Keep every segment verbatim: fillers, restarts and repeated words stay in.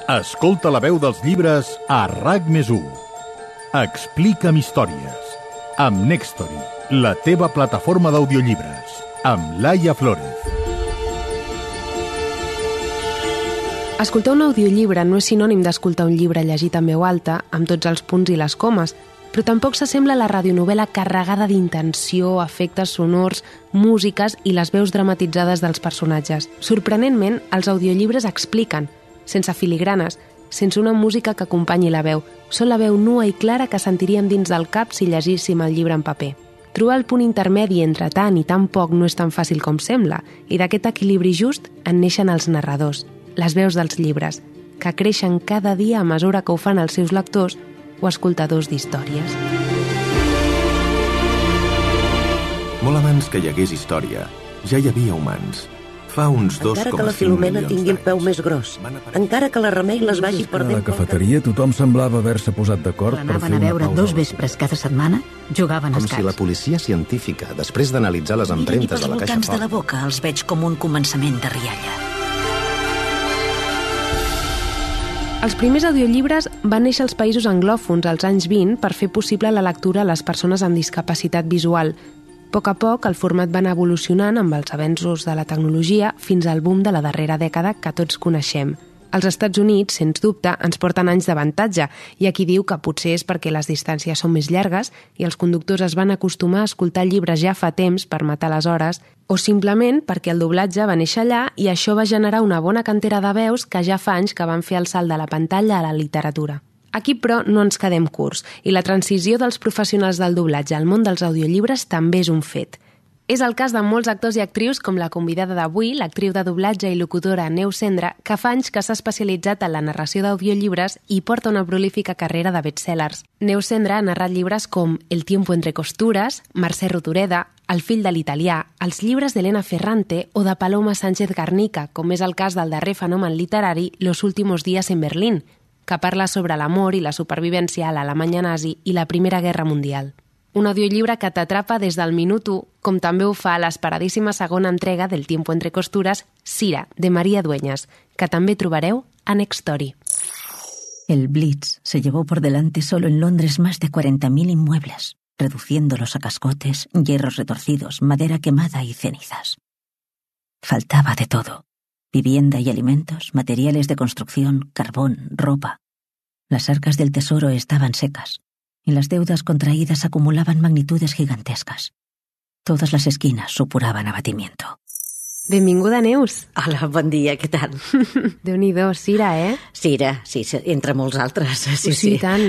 Escolta la veu dels llibres a RAC més u. Explica'm històries. Amb Nextory, la teva plataforma d'audiollibres. Amb Laia Flórez. Escoltar un audiollibre no és sinònim d'escoltar un llibre llegit en veu alta, amb tots els punts i les comes, però tampoc s'assembla a la radionovel·la carregada d'intenció, efectes sonors, músiques i les veus dramatitzades dels personatges. Sorprenentment, els audiollibres expliquen, sense filigranes, sense una música que acompanyi la veu, són la veu nua i clara que sentiríem dins del cap si llegíssim el llibre en paper. Trobar el punt intermedi entre tant i tan poc no és tan fàcil com sembla, i d'aquest equilibri just en neixen els narradors, les veus dels llibres, que creixen cada dia a mesura que ho fan els seus lectors o escoltadors d'històries. Molt abans que hi hagués història, ja hi havia humans. Fa uns dos encara que la Filomena tingui el peu més gros, encara que la Remei les vagi perdent... A la cafeteria tothom semblava haver-se posat d'acord per fer Anaven a una veure pausa. dos vespres cada setmana, jugaven a Com escacs. si la policia científica, després d'analitzar les empremtes de la caixa voltants de la forta... boca els veig com un començament de rialla. Els primers audiollibres van néixer als països anglòfons als anys vint per fer possible la lectura a les persones amb discapacitat visual. A poc a poc, el format va anar evolucionant amb els avenços de la tecnologia fins al boom de la darrera dècada que tots coneixem. Els Estats Units, sens dubte, ens porten anys d'avantatge, i aquí diu que potser és perquè les distàncies són més llargues i els conductors es van acostumar a escoltar llibres ja fa temps per matar les hores, o simplement perquè el doblatge va néixer allà i això va generar una bona cantera de veus que ja fa anys que van fer el salt de la pantalla a la literatura. Aquí, però, no ens quedem curts, i la transició dels professionals del doblatge al món dels audiollibres també és un fet. És el cas de molts actors i actrius com la convidada d'avui, l'actriu de doblatge i locutora Neus Cendra, que fa anys que s'ha especialitzat en la narració d'audiollibres i porta una prolífica carrera de bestsellers. Neus Cendra ha narrat llibres com El tiempo entre costures, Mercè Rodoreda, El fill de l'italià, els llibres d'Elena Ferrante o de Paloma Sánchez Garnica, com és el cas del darrer fenomen literari Los últimos días en Berlín, que parla sobre l'amor i la supervivència a l'Alemanya nazi i la Primera Guerra Mundial. Un audiollibre que t'atrapa des del minut u, com també ho fa l'esperadíssima segona entrega del Tiempo entre costures, Sira, de María Dueñas, que també trobareu a Nextory. El Blitz se llevó por delante solo en Londres más de cuarenta mil inmuebles, reduciéndolos a cascotes, hierros retorcidos, madera quemada y cenizas. Faltaba de todo. Vivienda y alimentos, materiales de construcción, carbón, ropa. Las arcas del tesoro estaban secas y las deudas contraídas acumulaban magnitudes gigantescas. Todas las esquinas supuraban abatimiento. Benvinguda, Neus. Hola, bon dia, què tal? Déu-n'hi-do, Sira, eh? Sira, sí, entre molts altres. Sí, sí, sí. I tant.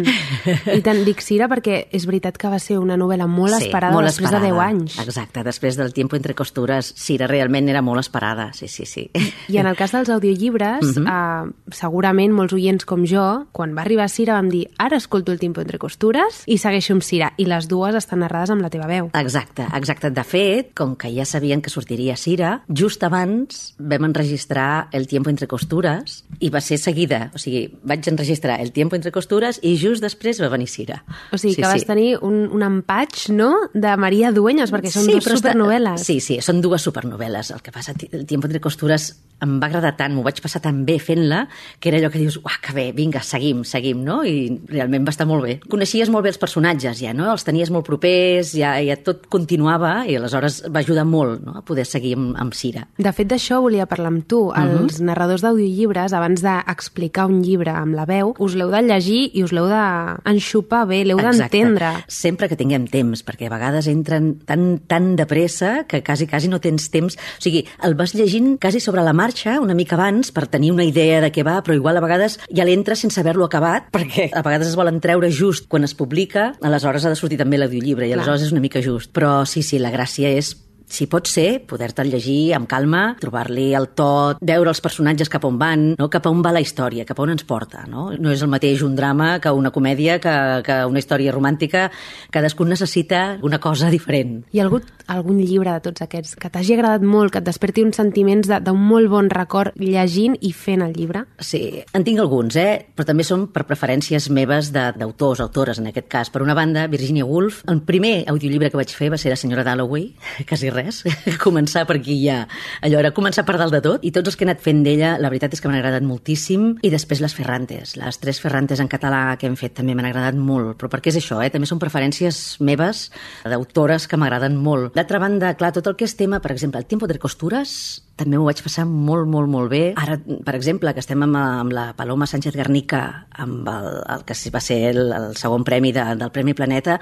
I tant, dic Sira perquè és veritat que va ser una novel·la molt sí, esperada molt després esperada. de deu anys. Exacte, després del Tiempo entre costures, Sira realment era molt esperada, sí, sí, sí. I en el cas dels audiollibres, uh-huh. eh, segurament molts oients com jo, quan va arribar Sira vam dir ara escolto el Tiempo entre costures i segueixo amb Sira, i les dues estan narrades amb la teva veu. Exacte, exacte. De fet, com que ja sabien que sortiria Sira, just abans vam enregistrar el Tiempo entre costures i va ser seguida. O sigui, vaig enregistrar el Tiempo entre costures i just després va venir Sira. O sigui, sí, que vas sí. tenir un, un empatx, no?, de María Dueñas, perquè són sí, dues supernovel·les. Està... Sí, sí, són dues supernovel·les. El que passa, el Tiempo entre costures em va agradar tant, m'ho vaig passar tan bé fent-la, que era allò que dius, uah, que bé, vinga, seguim, seguim, no? I realment va estar molt bé. Coneixies molt bé els personatges, ja, no? Els tenies molt propers, ja, ja tot continuava, i aleshores va ajudar molt, no?, a poder seguir amb, amb Sira. De fet, d'això volia parlar amb tu. Els uh-huh. narradors d'audiollibres, abans d'explicar un llibre amb la veu, us l'heu de llegir i us l'heu d'enxupar bé, l'heu d'entendre. Sempre que tinguem temps, perquè a vegades entren tan, tan de pressa que quasi, quasi no tens temps. O sigui, el vas llegint quasi sobre la marxa, una mica abans, per tenir una idea de què va, però igual a vegades ja l'entres sense haver-lo acabat, perquè a vegades es volen treure just quan es publica, aleshores ha de sortir també l'audiollibre, i aleshores Clar. És una mica just. Però sí, sí, la gràcia és si pot ser, poder-te'l llegir amb calma, trobar-li el to, veure els personatges cap on van, no? Cap on va la història, cap on ens porta. No, no és el mateix un drama que una comèdia, que, que una història romàntica. Cadascun necessita una cosa diferent. Hi ha hagut algun llibre de tots aquests que t'hagi agradat molt, que et desperti uns sentiments d'un molt bon record llegint i fent el llibre? Sí, en tinc alguns, eh? Però també són per preferències meves d'autors, autores, en aquest cas. Per una banda, Virginia Woolf. El primer audiollibre que vaig fer va ser La senyora Dalloway, quasi res, començar per aquí ja. Allò era començar per dalt de tot, i tots els que he anat fent d'ella, la veritat és que m'han agradat moltíssim, i després les Ferrantes, les tres Ferrantes en català que hem fet també m'han agradat molt, però perquè és això, eh? També són preferències meves, d'autores que m'agraden molt. D'altra banda, clar, tot el que és tema, per exemple, el Tiempo de Costuras, també m'ho vaig passar molt, molt, molt bé. Ara, per exemple, que estem amb, amb la Paloma Sánchez Garnica, amb el, el que va ser el, el segon premi de, del Premi Planeta,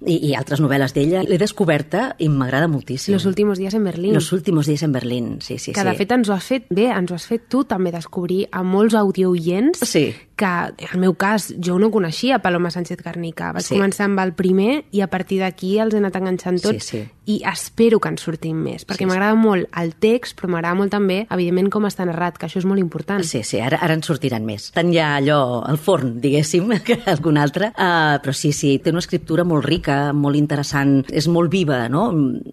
i, i altres novel·les d'ella, l'he descoberta i m'agrada moltíssim. Los últimos días en Berlín. Los últimos días en Berlín, sí, sí. Que de sí. fet ens ho has fet bé, ens ho has fet tu també descobrir a molts audioients sí. que, en el meu cas, jo no coneixia Paloma Sánchez Garnica. Vaig sí. començar amb el primer i a partir d'aquí els he anat enganxant tots sí, sí. i espero que en sortim més, perquè sí, m'agrada sí. molt el text, però m'agrada molt també, evidentment, com està narrat, que això és molt important. Sí, sí, ara, ara en sortiran més. Tant ja allò al forn, diguéssim, que algun altre, uh, però sí, sí, té una escriptura molt rica, molt interessant, és molt viva, no?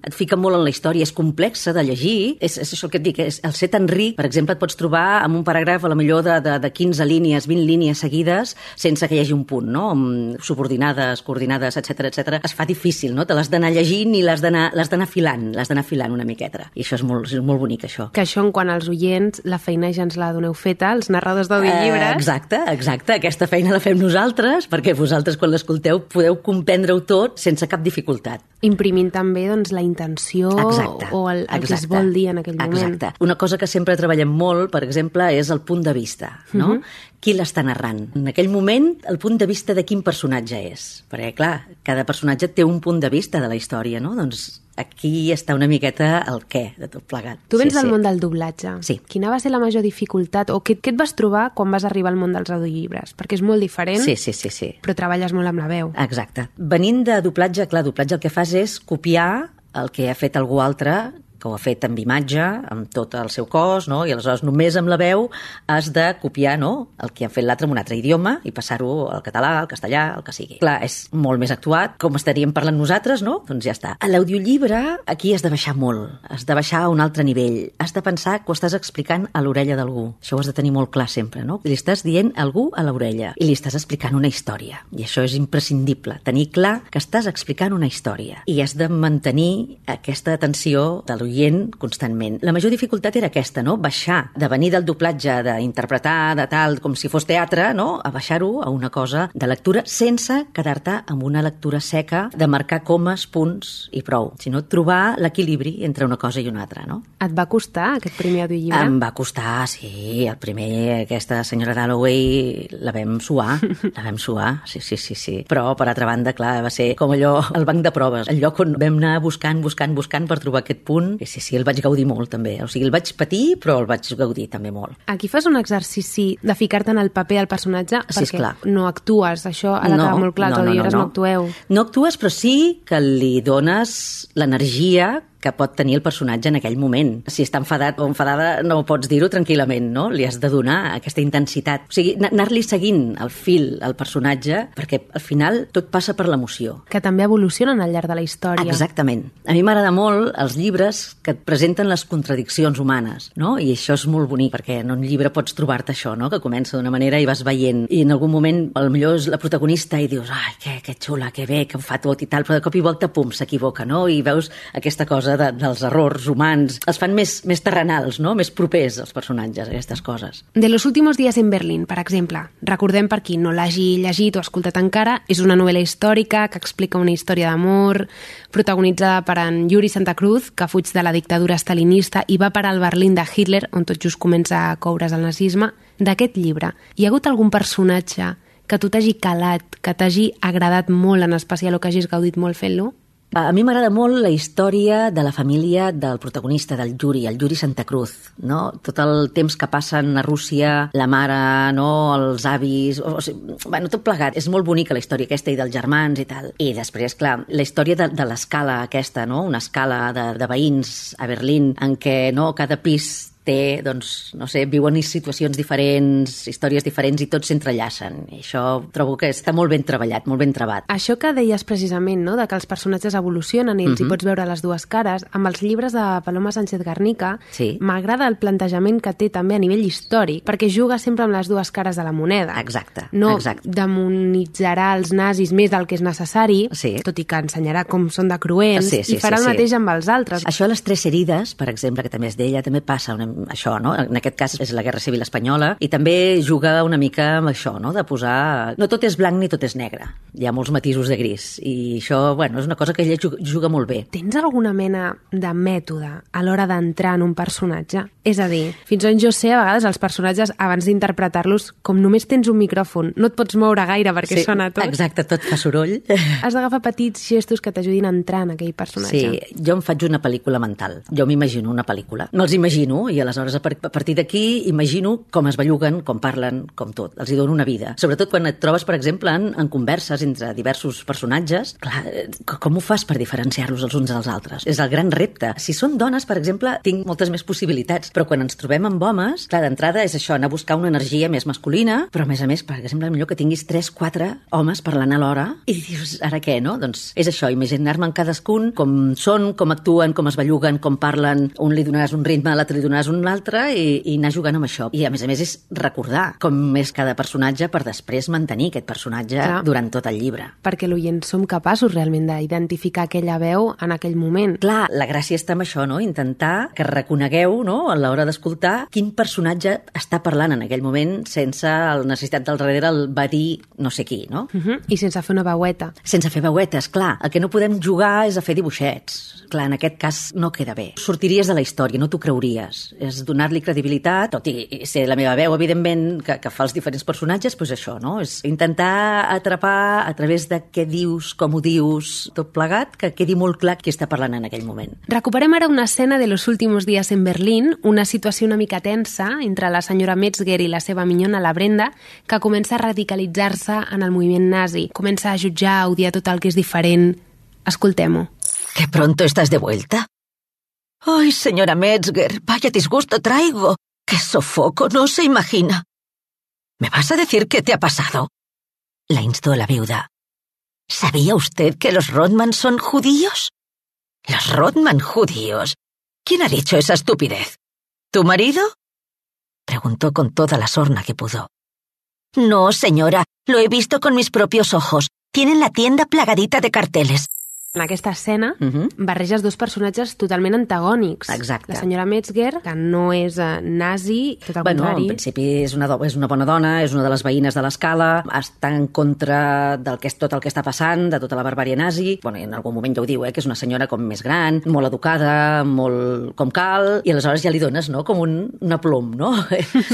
Et fica molt en la història, és complexa de llegir, és, és això que et dic, és, el ser tan ric, per exemple, et pots trobar amb un paràgraf a la millor de, de, de quinze línies, vint línies seguides, sense que hi hagi un punt, no? Amb subordinades, coordinades, etcètera, etcètera. Es fa difícil, no? Te l'has d'anar llegint i l'has d'anar l'has d'anar filant, l'has d'anar filant una miqueta. I això és molt, és molt bonic, això. Que això, en quant als oients, la feina ja ens la doneu feta, els narradors d'audiollibres. Eh, exacte, exacte. Aquesta feina la fem nosaltres, perquè vosaltres, quan l'escolteu, podeu comprendre-ho tot sense cap dificultat. Imprimint també, doncs, la intenció exacte, o el, el exacte, que es vol dir en aquell moment. Exacte. Una cosa que sempre treballem molt, per exemple, és el punt de vista, no? Uh-huh. Qui l'està narrant? En aquell moment, el punt de vista de quin personatge és? Perquè, clar, cada personatge té un punt de vista de la història, no? Doncs aquí està una miqueta el què de tot plegat. Tu vens sí, del sí. món del doblatge. Sí. Quina va ser la major dificultat o què, què et vas trobar quan vas arribar al món dels audiollibres? Perquè és molt diferent, sí, sí, sí, sí. però treballes molt amb la veu. Exacte. Venint de doblatge, clar, doblatge el que fas és copiar el que ha fet algú altre, que ho ha fet amb imatge, amb tot el seu cos, no? I aleshores només amb la veu has de copiar, no?, el que han fet l'altre en un altre idioma i passar-ho al català, al castellà, el que sigui. Clar, és molt més actuat, com estaríem parlant nosaltres, no? Doncs ja està. A l'audiollibre aquí has de baixar molt, has de baixar a un altre nivell, has de pensar que ho estàs explicant a l'orella d'algú. Això ho has de tenir molt clar sempre, no? Li estàs dient a algú a l'orella i li estàs explicant una història. I això és imprescindible, tenir clar que estàs explicant una història i has de mantenir aquesta atenció de l'oient constantment. La major dificultat era aquesta, no? Baixar, de venir del doblatge, d'interpretar, de tal, com si fos teatre, no? A baixar-ho a una cosa de lectura sense quedar-te amb una lectura seca, de marcar comes, punts i prou, sinó trobar l'equilibri entre una cosa i una altra, no? Et va costar aquest primer audiollibre? Em va costar, sí. El primer, aquesta senyora Dalloway, la vam suar, la vam suar, sí, sí, sí, sí. Però, per altra banda, clar, va ser com allò, el banc de proves, el lloc on vam anar buscant, buscant, buscant per trobar aquest punt. Sí, sí, sí, el vaig gaudir molt, també. O sigui, el vaig patir, però el vaig gaudir també molt. Aquí fas un exercici de ficar-te en el paper del personatge, sí, perquè esclar. No actues, això ha de quedar no, molt clar, no, els audiollibres no, no, no. no actueu. No actues, però sí que li dones l'energia que pot tenir el personatge en aquell moment. Si està enfadat o enfadada no pots dir-ho tranquil·lament, no? Li has de donar aquesta intensitat. O sigui, anar-li seguint el fil al personatge, perquè al final tot passa per l'emoció. Que també evolucionen al llarg de la història. Exactament. A mi m'agrada molt els llibres que et presenten les contradiccions humanes, no? I això és molt bonic, perquè en un llibre pots trobar-te això, no? Que comença d'una manera i vas veient, i en algun moment potser és la protagonista i dius, ai, que, que xula, que bé, que ho fa tot i tal, però de cop i volta, pum, s'equivoca, no? I veus aquesta cosa de, dels errors humans, els fan més, més terrenals, no? Més propers als personatges, aquestes coses. De los últimos días en Berlín, per exemple, recordem per qui no l'hagi llegit o escoltat encara, és una novel·la històrica que explica una història d'amor protagonitzada per en Yuri Santa Cruz, que fuig de la dictadura stalinista i va parar al Berlín de Hitler, on tot just comença a coure's el nazisme. D'aquest llibre, hi ha hagut algun personatge que tu t'hagi calat, que t'hagi agradat molt, en especial, o que hagis gaudit molt fent-lo? A mi m'agrada molt la història de la família del protagonista, del Yuri, el Yuri Santa Cruz, no? Tot el temps que passen a Rússia, la mare, no? Els avis, o, o sigui, bueno, tot plegat. És molt bonica la història aquesta i dels germans i tal. I després, clar, la història de, de l'escala aquesta, no? Una escala de, de veïns a Berlín en què, no?, cada pis té, doncs, no sé, viuen situacions diferents, històries diferents i tots s'entrellacen. I això trobo que està molt ben treballat, molt ben trebat. Això que deies precisament, no?, de que els personatges evolucionen i els Mhm. hi pots veure les dues cares, amb els llibres de Paloma Sánchez Garnica, Sí. m'agrada el plantejament que té també a nivell històric, perquè juga sempre amb les dues cares de la moneda. Exacte, No exacte. demonitzarà els nazis més del que és necessari, Sí. tot i que ensenyarà com són de cruents, Sí, sí, i farà sí, el sí. mateix amb els altres. Això a les Tres Herides, per exemple, que també és d'ella, també passa una, això, no? En aquest cas és la Guerra Civil Espanyola, i també juga una mica amb això, no?, de posar... No tot és blanc ni tot és negre. Hi ha molts matisos de gris. I això, bueno, és una cosa que ella juga, juga molt bé. Tens alguna mena de mètode a l'hora d'entrar en un personatge? És a dir, fins on jo sé, a vegades els personatges, abans d'interpretar-los, com només tens un micròfon, no et pots moure gaire perquè sona tot. Exacte, tot fa soroll. Has d'agafar petits gestos que t'ajudin a entrar en aquell personatge. Sí, jo em faig una pel·lícula mental. Jo m'imagino una pel·lícula. Me'ls imagino, i aleshores a par- a partir d'aquí imagino com es belluguen, com parlen, com tot. Els hi dono una vida. Sobretot quan et trobes, per exemple, en, en converses entre diversos personatges. Clar, eh, com ho fas per diferenciar-los els uns dels altres? És el gran repte. Si són dones, per exemple, tinc moltes més possibilitats, però quan ens trobem amb homes, clar, d'entrada és això, anar a buscar una energia més masculina, però a més a més, per exemple, millor que tinguis tres, quatre homes parlant alhora, i dius, ara què, no? Doncs és això, imaginar-me en cadascun com són, com actuen, com es belluguen, com parlen, un li donaràs un ritme, a l'altre li donaràs un altre, i, i anar jugant amb això. I a més a més és recordar com és cada personatge per després mantenir aquest personatge Clar. durant tot el llibre. Perquè l'oient som capaços realment d'identificar aquella veu en aquell moment. Clar, la gràcia està en això, no? Intentar que reconegueu, no?, a l'hora d'escoltar quin personatge està parlant en aquell moment sense la necessitat del darrere el va dir no sé qui, no? Uh -huh. I sense fer una veueta. Sense fer veuetes, clar. El que no podem jugar és a fer dibuixets. Clar, en aquest cas no queda bé. Sortiries de la història, no t'ho creuries. És donar-li credibilitat, tot i ser la meva veu, evidentment, que, que fa els diferents personatges, doncs això, no? És intentar atrapar a través de què dius, com ho dius, tot plegat, que quedi molt clar qui està parlant en aquell moment. Recuperem ara una escena de Los últimos días en Berlín, una situació una mica tensa entre la senyora Metzger i la seva minyona, la Brenda, que comença a radicalitzar-se en el moviment nazi. Comença a jutjar, a odiar tot el que és diferent. Escoltem-ho. ¿Qué pronto estás de vuelta? Ay, señora Metzger, vaya disgusto traigo. ¡Qué sofoco! No se imagina. ¿Me vas a decir qué te ha pasado? La instó la viuda. ¿Sabía usted que los Rodman son judíos? ¿Los Rodman judíos? ¿Quién ha dicho esa estupidez? ¿Tu marido? Preguntó con toda la sorna que pudo. No, señora, lo he visto con mis propios ojos. Tienen la tienda plagadita de carteles. En aquesta escena Uh -huh. barreges dos personatges totalment antagònics. Exacte. La senyora Metzger, que no és eh, nazi, tot al Bueno, contrari. en principi és una, do- és una bona dona, és una de les veïnes de l'escala, està en contra del que és tot el que està passant, de tota la barbària nazi. Bueno, en algun moment ja ho diu, eh, que és una senyora com més gran, molt educada, molt com cal, i aleshores ja li dones, no?, com un, un aplom, no?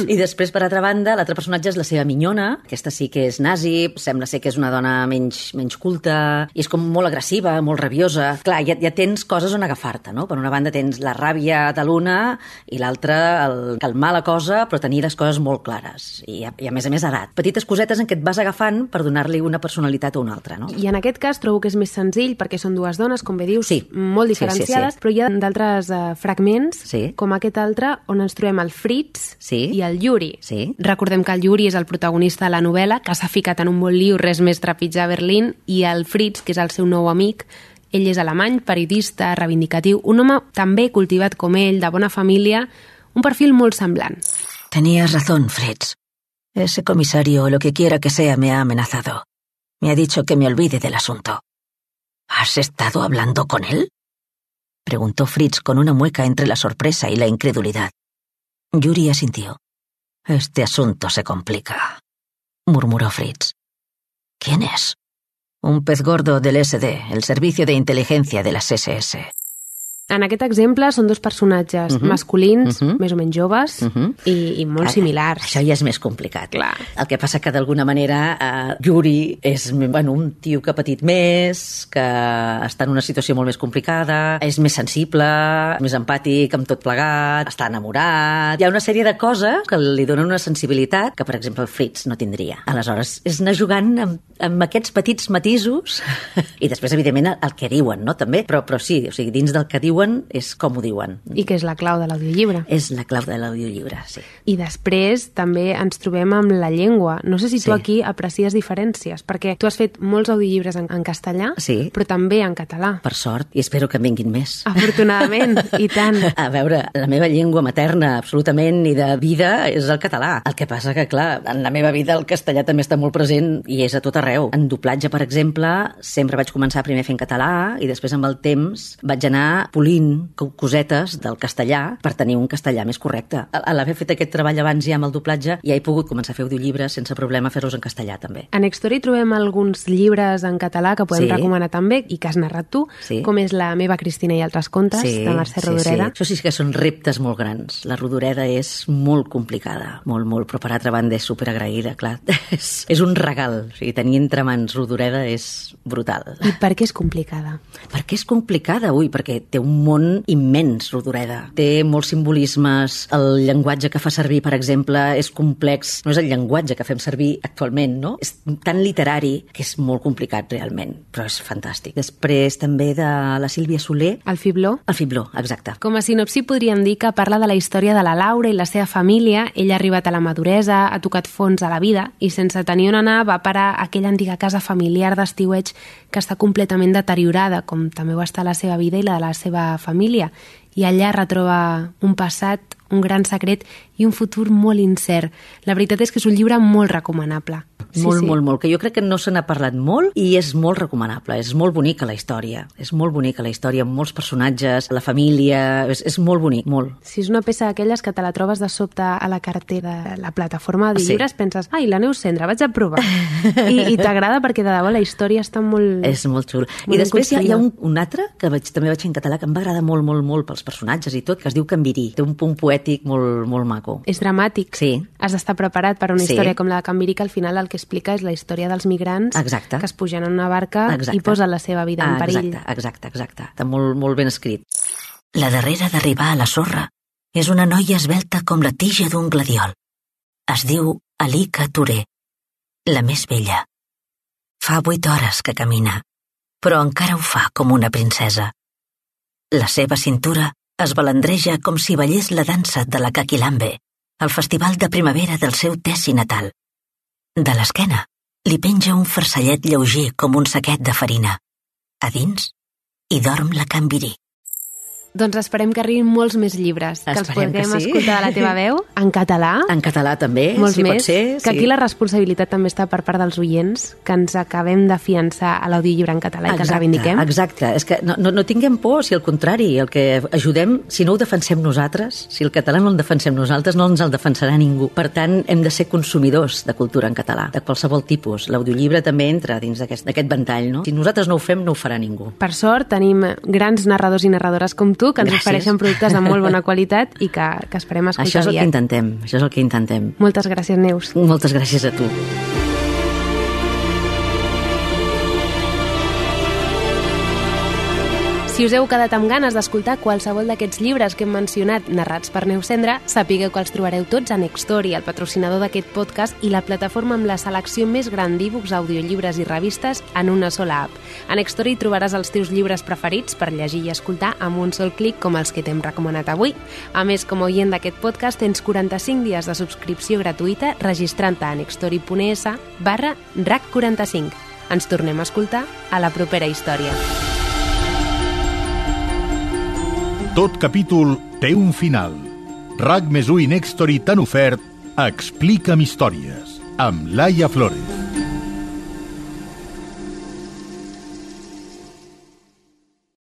I després, per altra banda, l'altre personatge és la seva minyona, aquesta sí que és nazi, sembla ser que és una dona menys, menys culta, i és com molt agressiva, molt rabiosa. Clar, ja, ja tens coses on agafar-te, no? Per una banda tens la ràbia de l'una i l'altra el calmar la cosa, però tenir les coses molt clares. I a, i a més a més edat. Petites cosetes en què et vas agafant per donar-li una personalitat a una altra, no? I en aquest cas trobo que és més senzill perquè són dues dones, com bé dius, Sí. molt Sí, sí, diferenciades, sí. però hi ha d'altres uh, fragments, Sí. com aquest altre, on ens trobem el Fritz Sí. i el Yuri. Sí. Recordem que el Yuri és el protagonista de la novel·la, que s'ha ficat en un bon liu, res més trepitjar a Berlín, i el Fritz, que és el seu nou amic, ell és alemany, periodista, reivindicatiu, un home també cultivat com ell, de bona família, un perfil molt semblant. Tenías razón, Fritz. Ese comisario, o lo que quiera que sea, me ha amenazado. Me ha dicho que me olvide del asunto. ¿Has estado hablando con él? Preguntó Fritz con una mueca entre la sorpresa y la incredulidad. Yuri asintió. Este asunto se complica, murmuró Fritz. ¿Quién es? Un pez gordo del S D, el servicio de inteligencia de las S S. En aquest exemple són dos personatges Uh -huh. masculins, Uh -huh. més o menys joves, Uh -huh. i, i molt Ara, similars. Això ja és més complicat. Clar. El que passa que d'alguna manera eh, Yuri és, bueno, un tio que ha patit més, que està en una situació molt més complicada, és més sensible, més empàtic amb tot plegat, està enamorat. Hi ha una sèrie de coses que li donen una sensibilitat que, per exemple, el Fritz no tindria. Aleshores, és anar jugant amb, amb aquests petits matisos i després, evidentment, el que diuen, no?, també. Però, però sí, o sigui, dins del que diuen diuen és com ho diuen. I que és la clau de l'audiollibre. És la clau de l'audiollibre, sí. I després també ens trobem amb la llengua. No sé si tu Sí. aquí aprecies diferències, perquè tu has fet molts audiollibres en, en castellà, Sí. però també en català. Per sort, i espero que en vinguin més. Afortunadament, i tant. A veure, la meva llengua materna, absolutament, i de vida, és el català. El que passa que, clar, en la meva vida el castellà també està molt present i és a tot arreu. En doblatge, per exemple, sempre vaig començar primer fent català i després amb el temps vaig anar polint cosetes del castellà per tenir un castellà més correcte. A l'haver fet aquest treball abans ja amb el doblatge, ja he pogut començar a fer audiollibres sense problema fer-los en castellà també. A Nextory trobem alguns llibres en català que podem Sí. recomanar també i que has narrat tu, Sí. com és La meva Cristina i altres contes, de Mercè Rodoreda. Sí. Això sí que són reptes molt grans. La Rodoreda és molt complicada, molt, molt, però per altra banda és superagraïda, clar. és, és un regal. O sigui, tenir entre mans Rodoreda és brutal. I per què és complicada? Per què és complicada? Ui, perquè té un món immens, Rodoreda. Té molts simbolismes. El llenguatge que fa servir, per exemple, és complex. No és el llenguatge que fem servir actualment, no? És tan literari que és molt complicat, realment, però és fantàstic. Després també de la Sílvia Soler. El fibló? El fibló, exacte. Com a sinopsi podríem dir que parla de la història de la Laura i la seva família. Ella ha arribat a la maduresa, ha tocat fons a la vida i sense tenir on anar va parar a aquella antiga casa familiar d'estiueig que està completament deteriorada, com també ho està la seva vida i la de la seva família. I allà retroba un passat, un gran secret i un futur molt incert. La veritat és que és un llibre molt recomanable. Sí, molt, sí. molt, molt, que jo crec que no se n'ha parlat molt i és molt recomanable, és molt bonica la història, és molt bonica la història, amb molts personatges, la família, és, és molt bonic, molt. Si és una peça d'aquelles que te la trobes de sobte a la cartera de la plataforma de Sí. llibres, penses, ai, la Neus Cendra, vaig a provar. I, i t'agrada perquè de debò la història està molt... És molt xul. molt I després hi ha, hi ha construïda. un, un altre, que vaig, també vaig fer en català, que em va agradar molt, molt, molt pels personatges i tot, que es diu Canvirí. Té un punt poètic molt, molt maco. És dramàtic. Sí. Has d'estar preparat per a una Sí. història com la de Can Virí, que al final el que explica és la història dels migrants Exacte. que es pugen en una barca Exacte. i posen la seva vida en Ah, perill. exacte, exacte, exacte. Està molt, molt ben escrit. La darrera d'arribar a la sorra és una noia esvelta com la tija d'un gladiol. Es diu Alika Touré, la més vella. Fa vuit hores que camina, però encara ho fa com una princesa. La seva cintura es balandreja com si ballés la dansa de la Caquilambe, el festival de primavera del seu Tessi natal. De l'esquena li penja un farcellet lleuger com un saquet de farina. A dins hi dorm la Can Virí. Doncs esperem que arribin molts més llibres, que els Esperem que podrem sí. escoltar de la teva veu, en català, En català també, molts si més, pot ser. que aquí la responsabilitat també està per part dels oients, que ens acabem de fiançar a l'audiollibre en català i que el reivindiquem. Exacte, és que no, no, no tinguem por, si al contrari, el que ajudem, si no ho defensem nosaltres, si el català no el defensem nosaltres, no ens el defensarà ningú. Per tant, hem de ser consumidors de cultura en català, de qualsevol tipus. L'audiollibre també entra dins d'aquest ventall, no? Si nosaltres no ho fem, no ho farà ningú. Per sort, tenim grans narradors i narradores com tu, que ens Gràcies. ofereixen productes de molt bona qualitat i que, que esperem escoltar Això és el que aviat. intentem, això és el que intentem. Moltes gràcies, Neus. Moltes gràcies a tu. Si us heu quedat amb ganes d'escoltar qualsevol d'aquests llibres que hem mencionat narrats per Neus Cendra, sapigueu que els trobareu tots a Nextory, el patrocinador d'aquest podcast i la plataforma amb la selecció més gran d'e-books, audiollibres i revistes en una sola app. A Nextory trobaràs els teus llibres preferits per llegir i escoltar amb un sol clic com els que t'hem recomanat avui. A més, com a oient d'aquest podcast, tens quaranta-cinc dies de subscripció gratuïta registrant-te a nextory.es barra rac quaranta-cinc. Ens tornem a escoltar a la propera història. Tot capítol té un final. RAC més u i Nextory t'han ofert Explica'm històries, amb Laia Flores.